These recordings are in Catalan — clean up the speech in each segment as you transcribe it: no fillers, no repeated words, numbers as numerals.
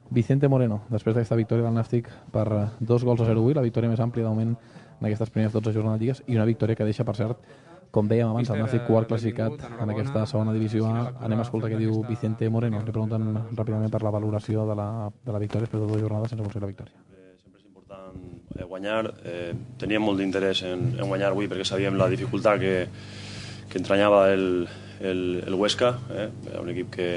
Vicente Moreno, després d'aquesta victòria del Nàstic per 2-0 avui, la victòria més àmplia de moment en aquestes primeres 12 jornades lligues, i una victòria que deixa, per cert, com dèiem abans, el Nàstic quart classificat en aquesta segona divisió A. Anem a escoltar què diu Vicente Moreno. Li pregunten ràpidament per la valoració de la victòria després de 2 jornades sense aconseguir la victòria. Sempre és important guanyar. Teníem molt d'interès en guanyar avui perquè sabíem la dificultat que entranyava el Huesca. Era un equip que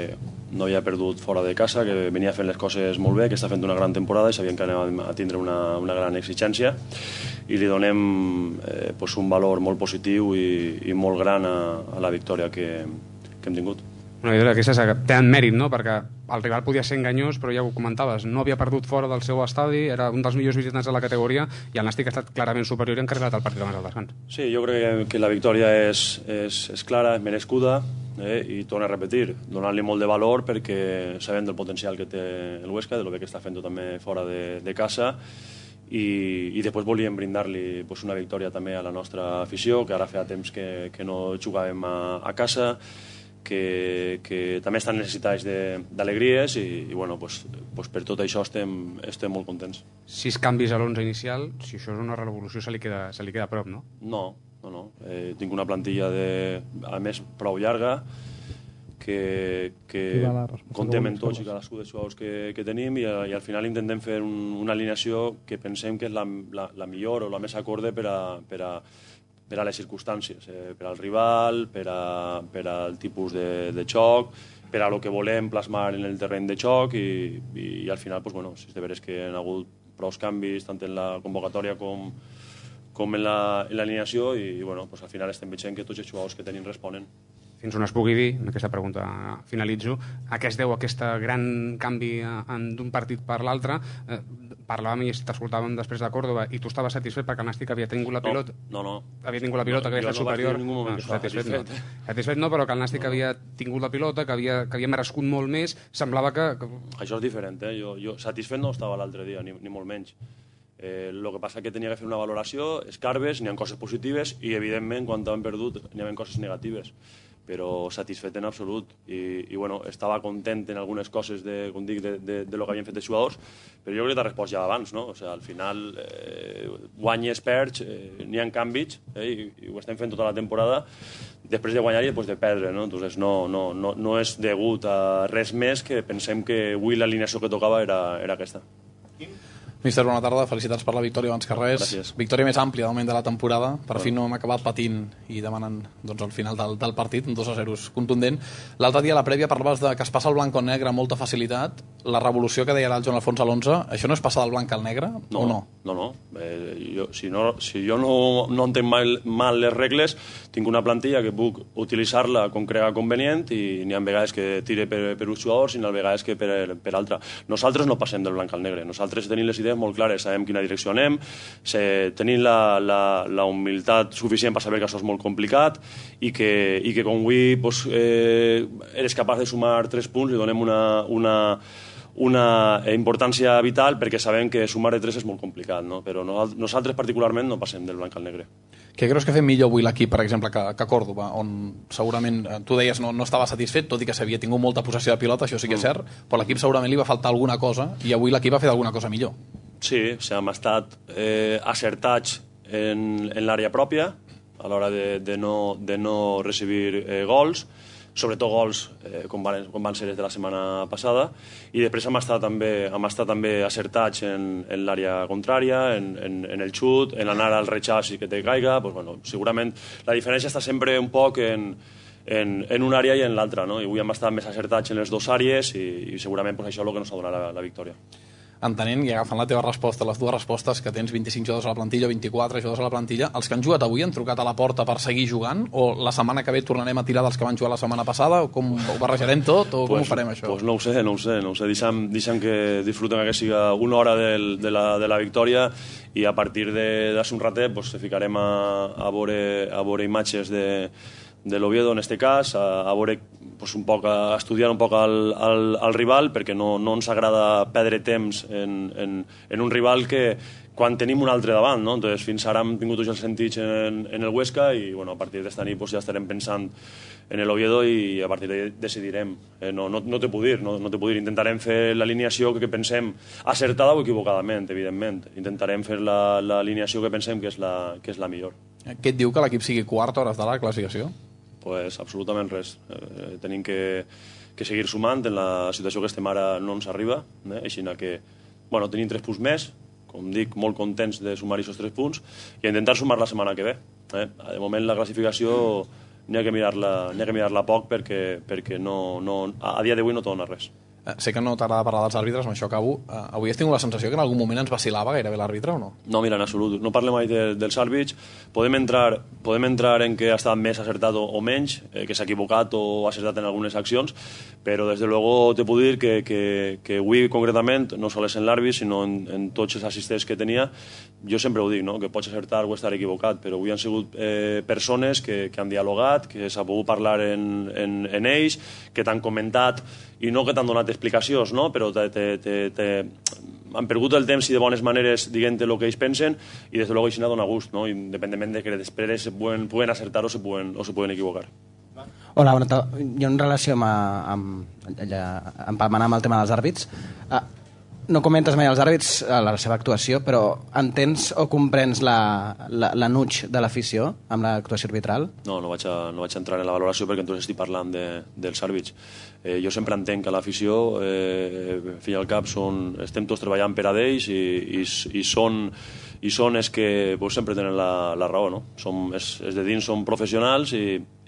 no havia perdut fora de casa, que venia fent les coses molt bé, que està fent una gran temporada i sabien que anàvem a tindre una gran exigència, i li donem un valor molt positiu i molt gran a la victòria que hem tingut. Una victòria d'aquestes que tenen mèrit, no? Perquè el rival podia ser enganyós, però ja ho comentaves, no havia perdut fora del seu estadi, era un dels millors visitants de la categoria, i el Nàstic ha estat clarament superior i ha encarregat el partit abans del descans. Sí, jo crec que la victòria és clara, és merescuda, i torno a repetir, donar-li molt de valor perquè sabem del potencial que té el Huesca, de lo bé que està fent també fora de casa, i després volíem brindar-li una victòria també a la nostra afició, que ara feia temps que no jugàvem a casa, que també estan necessitats d'alegries, i bueno, per tot això estem molt contents. 6 canvis a l'11 inicial, si això és una revolució se li queda a prop, no? No. Tinc una plantilla a més prou llarga que contem en tots i cadascú dels jugadors que tenim, i al final intentem fer una alineació que pensem que és la millor o la més acorde per a les circumstàncies, per al rival, per al tipus de joc, per a lo que volem plasmar en el terreny de joc, i al final, si és de veres que hi ha hagut prou canvis tant en la convocatòria com en l'alineació, i al final estem veient que tots els jugadors que tenim responen. Fins on es pugui dir, amb aquesta pregunta finalitzo, a què es deu aquest gran canvi d'un partit per l'altre? Parlàvem i t'escoltàvem després de Córdoba, i tu estaves satisfet perquè el Nàstic havia tingut la pilota? No. Havia tingut la pilota, que havia estat superior? Jo no vaig dir en ningú moment que estava satisfet. Satisfet no, però que el Nàstic havia tingut la pilota, que havia merescut molt més, semblava que... Això és diferent, jo satisfet no estava l'altre dia, ni molt menys. El que passa que tenia que fer una valoració, escarbes, n'hi ha coses positives, i evidentment quan hem perdut n'hi ha coses negatives, però satisfet en absolut, i estava content en algunes coses com dic, de lo que havien fet els jugadors, però jo crec que t'ha respost ja abans, no? Al final guanyes, perds, n'hi ha canvis, i ho estem fent tota la temporada, després de guanyar i després de perdre, no? Entonces no és degut a res més, que pensem que avui l'alineació que tocava era aquesta. Míster, bona tarda, felicitats per la victòria abans que res. Gràcies. Victòria més àmplia del moment de la temporada, per fi no hem acabat patint i demanant al final del partit, un 2-0 contundent. L'altre dia a la prèvia parlaves de que es passa el blanc al negre amb molta facilitat, la revolució que deia el Joan Alfons a l'11, això no és passar del blanc al negre o no? No. Si jo no entenc mal les regles, tinc una plantilla que puc utilitzar-la com crega convenient, i n'hi ha vegades que tire per uns jugadors i n'hi ha vegades que per altra. Nosaltres no passem del blanc al negre, nosaltres tenim les idees molt clares, sabem quina direcció anem, tenim la humilitat suficient per saber que això és molt complicat, i que com avui eres capaç de sumar 3 punts, li donem una importància vital, perquè sabem que sumar de 3 és molt complicat, no? Però nosaltres particularment no passem del blanc al negre. Què creus que ha fet millor avui l'equip, per exemple, que Córdoba, on segurament, tu deies, no estava satisfet, tot i que s'havia tingut molta possessió de pilota, això sí que és cert, però l'equip segurament li va faltar alguna cosa, i avui l'equip ha fet alguna cosa millor. Sí, hem estat acertats en l'àrea pròpia, a l'hora de no recibir gols, sobretot gols com van ser de la setmana passada, i després hem estat també acertats en l'àrea contrària, en el xut, en anar al rechaç i que te caiga. Segurament la diferència està sempre un poc en una àrea i en l'altra, no? I avui hem estat més acertats en les dues àrees, i segurament això és el que ens ha donat la victòria. Entenent, i agafant la teva resposta, les dues respostes, que tens 25 jugadors a la plantilla, 24 jugadors a la plantilla, els que han jugat avui han trucat a la porta per seguir jugant, o la setmana que ve tornarem a tirar dels que van jugar la setmana passada, o com ho barrejarem tot, o com ho farem això? No ho sé. Deixem que disfruten que siga una hora de la victòria, i a partir d'així un ratet se ficarem a veure imatges l'Oviedo en aquest cas, a veure, a estudiar un poc al rival, perquè no ens agrada perdre temps en un rival que quan tenim un altre davant, no? Entonces, fins ara hem tingut els sentits en el Huesca i a partir d'esta nit ja estarem pensant en l'Oviedo i a partir d'ahí decidirem. No te puc dir, no te puc dir. Intentarem fer l'alineació que pensem acertada o equivocadament, evidentment. Intentarem fer l'alineació que pensem que és la millor. Què et diu que l'equip sigui quart a hores de la classificació? Pues absolutament res. Tenim que seguir sumant. En la situació que estem ara no ens arriba, així que tenim 3 punts més, com dic, molt contents de sumar aquests 3 punts i intentar sumar la setmana que ve. De moment la classificació n'hi ha que mirar-la poc perquè a dia d'avui no dona res. Sé que no t'agrada parlar dels àrbitres, amb això acabo. Avui has tingut la sensació que en algun moment ens vacilava gairebé l'àrbitre o no? No, mira, en absolut. No parlem mai dels àrbits. Podem entrar en què ha estat més acertat o menys, que s'ha equivocat o ha acertat en algunes accions, però des de luego te puc dir que avui concretament, no sols en l'àrbit, sinó en tots els assistents que tenia, jo sempre ho dic, no? Que pots acertar o estar equivocat, però avui han sigut persones que han dialogat, que s'ha pogut parlar en ells, que t'han comentat i no que t'han donat explicacions, no? Però han perdut el temps i de bones maneres dient el que ells pensen i des de luego això dona gust, no? Independentment de que després se puguen acertar o se puguen equivocar. Hola, jo en relació empalmant amb el tema dels àrbits, no comentes mai els àrbits a la seva actuació, però entens o comprens l'anuig de l'afició amb l'actuació arbitral? No vaig entrar en la valoració perquè entonces estic parlant dels àrbits. Jo sempre entenc que l'afició, al fi i al cap, estem tots treballant per a ells i són els que sempre tenen la raó, no? Els de dins són professionals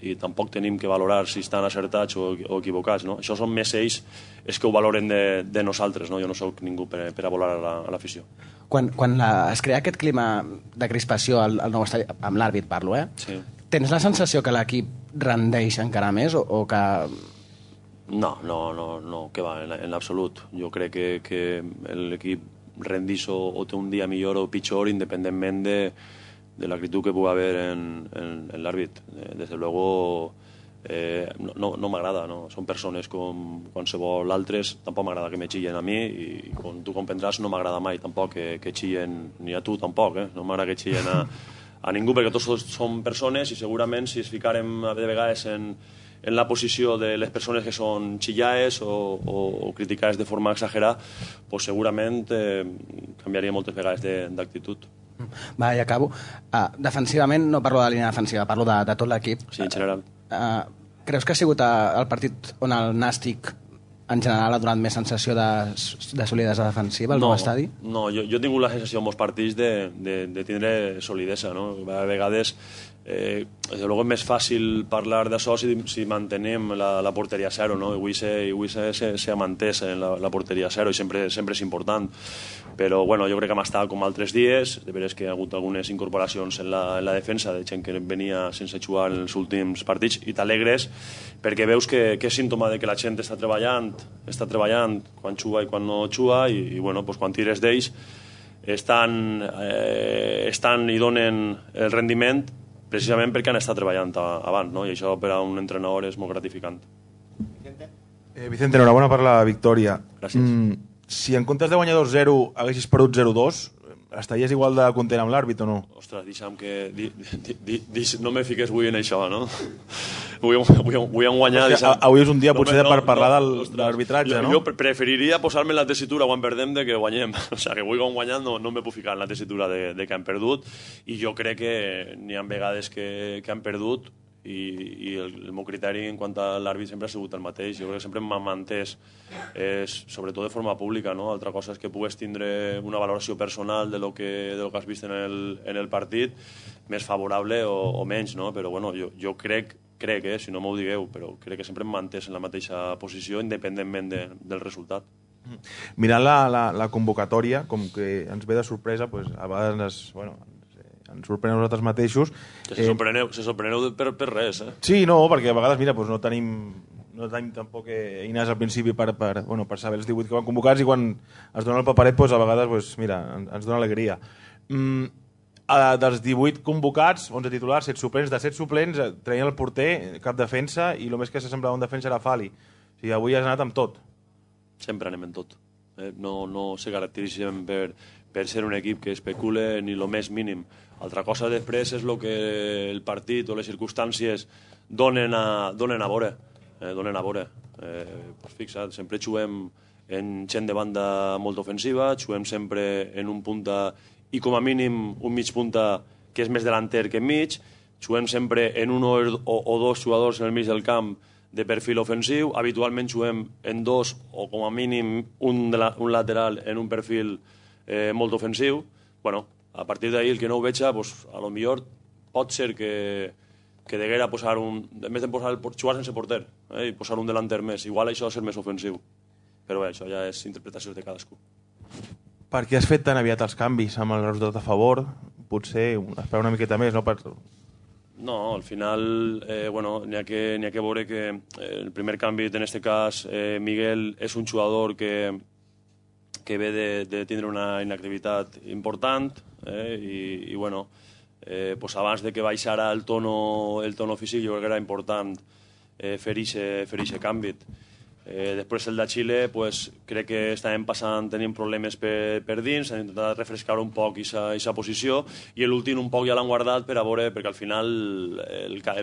i tampoc tenim que valorar si estan acertats o equivocats, no? Això són més ells els que ho valoren de nosaltres, no? Jo no soc ningú per a valorar a l'afició. Quan es crea aquest clima de crispació al nou estadi, amb l'àrbit parlo, Sí. Tens la sensació que l'equip rendeix encara més o que... No, que va, en l'absolut. Jo crec que l'equip rendís o té un dia millor o pitjor independentment de l'actitud que pugui haver en l'àrbit. Desde luego no m'agrada, no? Són persones com qualsevol altres, tampoc m'agrada que me xillen a mi i com tu comprendràs no m'agrada mai tampoc que xillen, ni a tu tampoc, no m'agrada que xillen a ningú perquè tots som persones i segurament si es ficarem de vegades en la posició de les persones que són xillades o criticades de forma exagerada, pues segurament canviaria moltes vegades d'actitud. Va, i acabo. Defensivament, no parlo de la línia defensiva, parlo de tot l'equip. Sí, en general. Creus que ha sigut el partit on el Nàstic en general ha donat més sensació de solidesa defensiva al nou estadi? No, jo he tingut la sensació en molts partits de tindre solidesa, no? A vegades desde luego és més fàcil parlar d'això si mantenem la porteria a zero, no? Avui s'ha mantès en la porteria a zero i sempre és important, però bueno, jo crec que hem estat com altres dies, de veres que hi ha hagut algunes incorporacions en la defensa de gent que venia sense jugar en els últims partits i t'alegres perquè veus que és símptoma de que la gent està treballant quan juga i quan no juga i bueno, pues quan tires d'ells estan i donen el rendiment precisament perquè han estat treballant abans, no? I això per a un entrenador és molt gratificant. Vicente, enhorabona per la victòria. Gràcies. Si en comptes de guanyar 2-0 haguessis perdut 0-2, estaries igual de content amb l'àrbit o no? Ostres, deixa'm que... no me fiques avui en això, no? Avui hem guanyat... Avui és un dia potser per parlar de l'arbitratge, no? Jo preferiria posar-me en la tessitura quan perdem de que guanyem. O sigui, que avui que hem guanyat no me puc ficar en la tessitura de que hem perdut i jo crec que n'hi ha vegades que han perdut i el meu criteri en quant a l'àrbit sempre ha sigut el mateix. Jo crec que sempre m'ha entès, sobretot de forma pública, no? Altra cosa és que pugues tindre una valoració personal de lo que has vist en el partit, més favorable o menys, no? Però bueno, jo crec, si no m'ho digueu, però crec que sempre m'ha entès en la mateixa posició independentment del resultat. Mirant la convocatòria, com que ens ve de sorpresa, pues, a vegades ens sorprenem nosaltres mateixos. Se sorpreneu per res, eh? Sí, no, perquè a vegades, mira, pues no tenim tampoc eines al principi per saber els 18 que van convocats i quan es dona el paperet, pues, a vegades, pues, mira, ens dona alegria. dels 18 convocats, 11 titulars, 7 suplents, de 7 suplents traien el porter, cap defensa, i el més que s'assemblava un defensa era Fali. O sigui, avui has anat amb tot. Sempre anem en tot. No se caracteritzem per ser un equip que especule ni el més mínim. Altra cosa després és el que el partit o les circumstàncies donen a veure. Fixa't, sempre juguem en gent de banda molt ofensiva, juguem sempre en un punta i com a mínim un mig punta que és més delanter que enmig, juguem sempre en un o dos jugadors en el mig del camp de perfil ofensiu, habitualment juguem en dos o com a mínim un lateral en un perfil molt ofensiu. Bueno, a partir d'ahir el que no ho veig, pues, a lo millor pot ser que deguera posar en més de jugar sense porter i posar un delanter més, igual això ha de ser més ofensiu, però bé, això ja és interpretació de cadascú. Per què has fet tan aviat els canvis amb el resultat a favor? Potser esperar una miqueta més, no? No, al final n'hi ha que veure que el primer canvi, en aquest cas, Miguel és un jugador que ve de tindre una inactivitat important i pues abans de que baixara el tono físic jo crec que era important fer aquest canvi. Després el de Xile pues, crec que estàvem tenint problemes per dins, han intentat refrescar un poc aquesta posició i l'últim un poc ja l'han guardat per a veure, perquè al final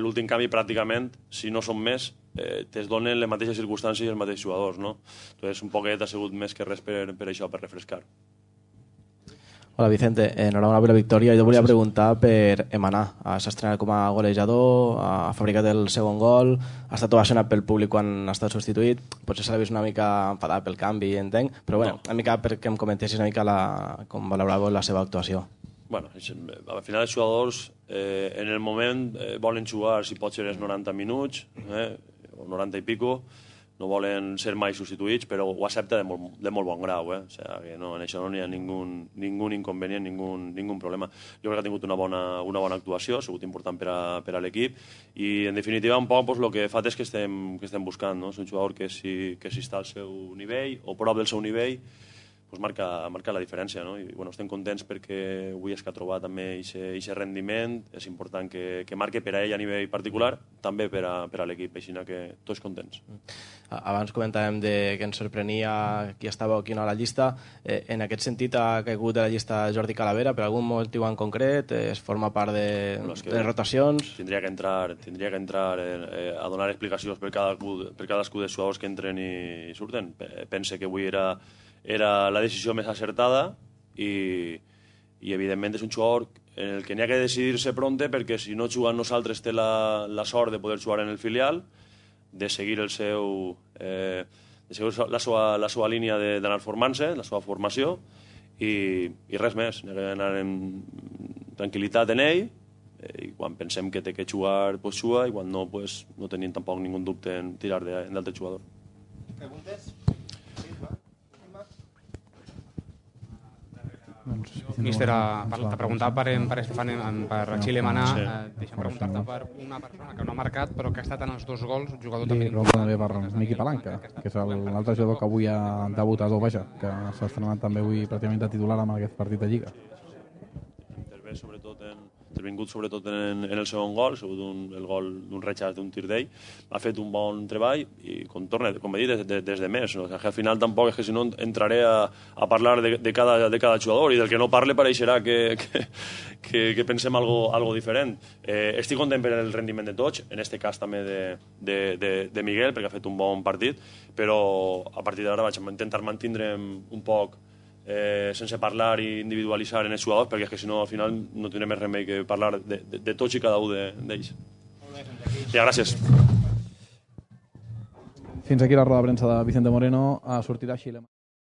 l'últim canvi pràcticament, si no són més, es donen les mateixes circumstàncies i els mateixos jugadors, no? Entonces un poquet ha sigut més que res per això, per refrescar. Hola Vicente, enhorabona per la victòria. Jo volia preguntar per Emaná. S'ha estrenat com a golejador, ha fabricat el segon gol, ha estat ovacionat pel públic quan ha estat substituït. Potser s'ha vist una mica enfadat pel canvi, entenc, però bueno, una mica perquè em comentessis una mica com valorava la seva actuació. Bueno, al final els jugadors en el moment volen jugar si pot ser els 90 minuts o 90 i pico, no volen ser mai substituïts, però ho accepta de molt bon grau. O sigui, que no, en això no hi ha ningú inconvenient, ningú problema. Jo crec que ha tingut una bona actuació, ha sigut important per a l'equip i, en definitiva, un poc el que fa és que estem buscant. És un jugador que si està al seu nivell o prop del seu nivell, marca la diferència. I estem contents perquè avui és que ha trobat també aquest rendiment. És important que marque per a ell a nivell particular, també per a l'equip, així que tots contents. Abans comentàvem que ens sorprenia qui estava o qui no a la llista. En aquest sentit ha caigut de la llista Jordi Calavera per algun motiu en concret? Es forma part de les rotacions? Tindria que entrar a donar explicacions per cadascú dels jugadors que entren i surten. Pense que avui era la decisió més acertada i evidentment és un jugador en el que n'hi ha que decidir-se pronte perquè si no juga amb nosaltres té la sort de poder jugar en el filial, de seguir la seva línia d'anar formant-se, la seva formació i res més, anar amb tranquil·litat en ell i quan pensem que té que jugar, pues juga i quan no, pues no tenim tampoc ningú dubte en tirar d'altre jugador. Preguntes? Míster, te preguntava per Xile Emaná. Deixa'm preguntar-te per una persona que no ha marcat però que ha estat en els dos gols, jugador també... També per Miqui Palanca, que és l'altre jugador que avui ha debutat, que s'ha estrenat també avui pràcticament de titular amb aquest partit de Lliga. Intervingut sobretot en el segon gol, ha sigut el gol d'un rechaç d'un tir d'ell, ha fet un bon treball i com he dit, des de més. Al final tampoc és que si no entraré a parlar de cada jugador i del que no parle pareixerà que pensem algo diferent. Estic content per el rendiment de tots, en aquest cas també de Miguel, perquè ha fet un bon partit, però a partir d'ara vaig intentar mantindre'm un poc sense parlar i individualitzar en els jugadors perquè és que si no al final no tindrem més remei que parlar de tots i cada un d'ells. Ja, gràcies. Fins aquí la roda de premsa de Vicente Moreno. Sortirà Xile.